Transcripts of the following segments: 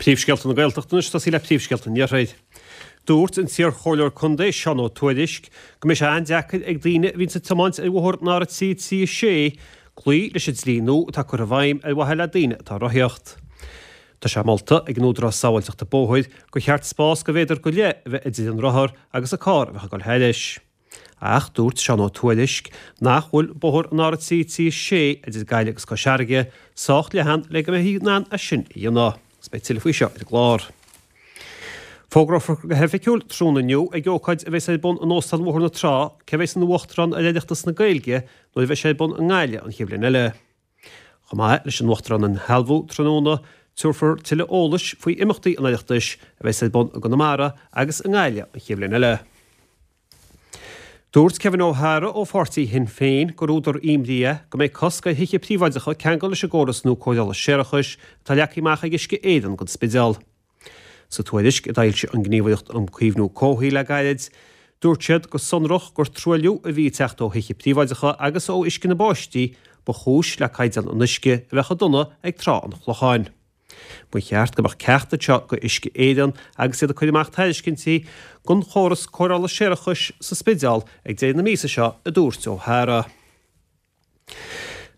Príomhscéalta na Gaeltachta anois, tosaí le príomhscéalta an Iarthair. Dúirt an t-iarchomhairleoir contae Seán Ó Tuairisg go mbeidh sé an-deacair ag daoine a bhíonns ag tiomáint ar bhóthar an R336 cloí leis an dlí nua atá curtha i bhfeidhm ar mhaithe le daoine atá ag rothaíocht. Tá sé molta ag an Údarás Sábháilteachta Bóthair gur cheart spás de mhéadar go leith a bheith idir an rothar agus an carr a bheadh ag dul thairis. Ach dúirt Seán Ó Tuairisg nach bhfuil bóthar an R336 idir Gaillimh agus Cois Fharraige sách leathan le go mbeifí in ann é sin a dhéanamh. Agus beidh tuilleadh faoi seo ar an gclár. Fógrófar go hoifigiúil tráthnóna inniu ag ócáid a bheas ar bun in Óstán Bhóthar na Trá cé a bheas ina Uachtarán ar Oireachtas na Gaeilge nuair a bheidh sé ar bun i nGaillimh an chéad bhliain eile. Chomh maith leis an Uachtarán a shealbhú tráthnóna, tabharfar tuilleadh eolais faoi imeachtaí an Oireachtais a bheas ar bun i gConamara agus i nGaillimh an chéad bhliain eile. Dúirt Kevin O'Hara ó pháirtí Shinn Féin gur údar imní é go mbeidh cosc ar thithe príobháideacha ceangal leis an gcóras nua cóireála séarachais atá leagtha amach ag Uisce Éireann don Spidéal. Sa tuairisc a d'fhoilsigh an Gníomhaireacht um Caomhnú Comhshaoil le gairid, dúirt siad go sonrach gur truailliú a bhí ag teacht ó thithe príobháideacha agus ó uisce na báistí ba chúis le caighdeán an uisce a bheith chomh dona ag Trá an Chlocháin. Ba cheart go mbeadh ceacht anseo go Uisce Éireann agus iad ag cur amach tairiscintí don chóras cóireála séarachais sa Spidéal ag deireadh na míosa seo, a dúirt O'Hara.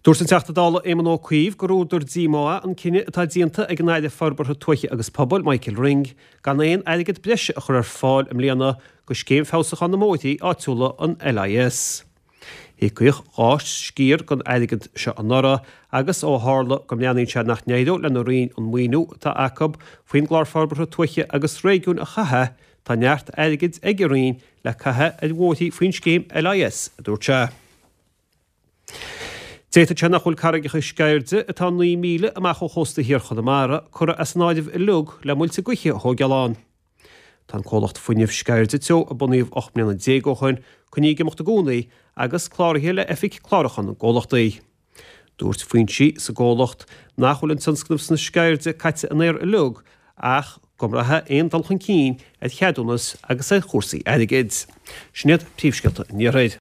Dúirt an Teachta Dála Éamon Ó Cuív gur údar díomá é an cinneadh atá déanta ag an Aire Forbartha Tuaithe agus Pobail, Michael Ring, gan aon airgead breise a chur ar fáil i mbliana do scéim feabhsúcháin na mbóithrí áitiúla, an LIS. Híocaíodh 2 sciar den airgead seo anuraidh agus ó tharla go mbreathnaíonn sé nach n-éireoidh lena Roinn an maoiniú atá acu faoin gClár Forbartha Tuaithe agus Réigiúin a chaitheamh, tá neart airgid ag an Roinn le caitheamh ar bhóithrí faoin scéim LIS, a dúirt sé. D'fhéadfadh sé nach bhfuil Carraigeacha Sceirde, atá 9 míle amach ó chósta thiar Chonamara, curtha as an áireamh uilig le muilte gaoithe a thóigeáil ann. Tá an comhlacht fuinnimh Sceirde Teo a bunaíodh 18 mbliana ó shin coinnithe ag imeacht i gcónaí agus cláraithe le Oifig Clárúcháin na gComhlachtaí. Dúirt foinsí sa gcomhlacht nach bhfuil an tionscnamh sna Sceirde caite in aer uilig ach go mbraithfidh aon dul chun cinn ar cheadúnas agus ar chúrsaí airgid. Sin iad príomhscéalta an Iarthair.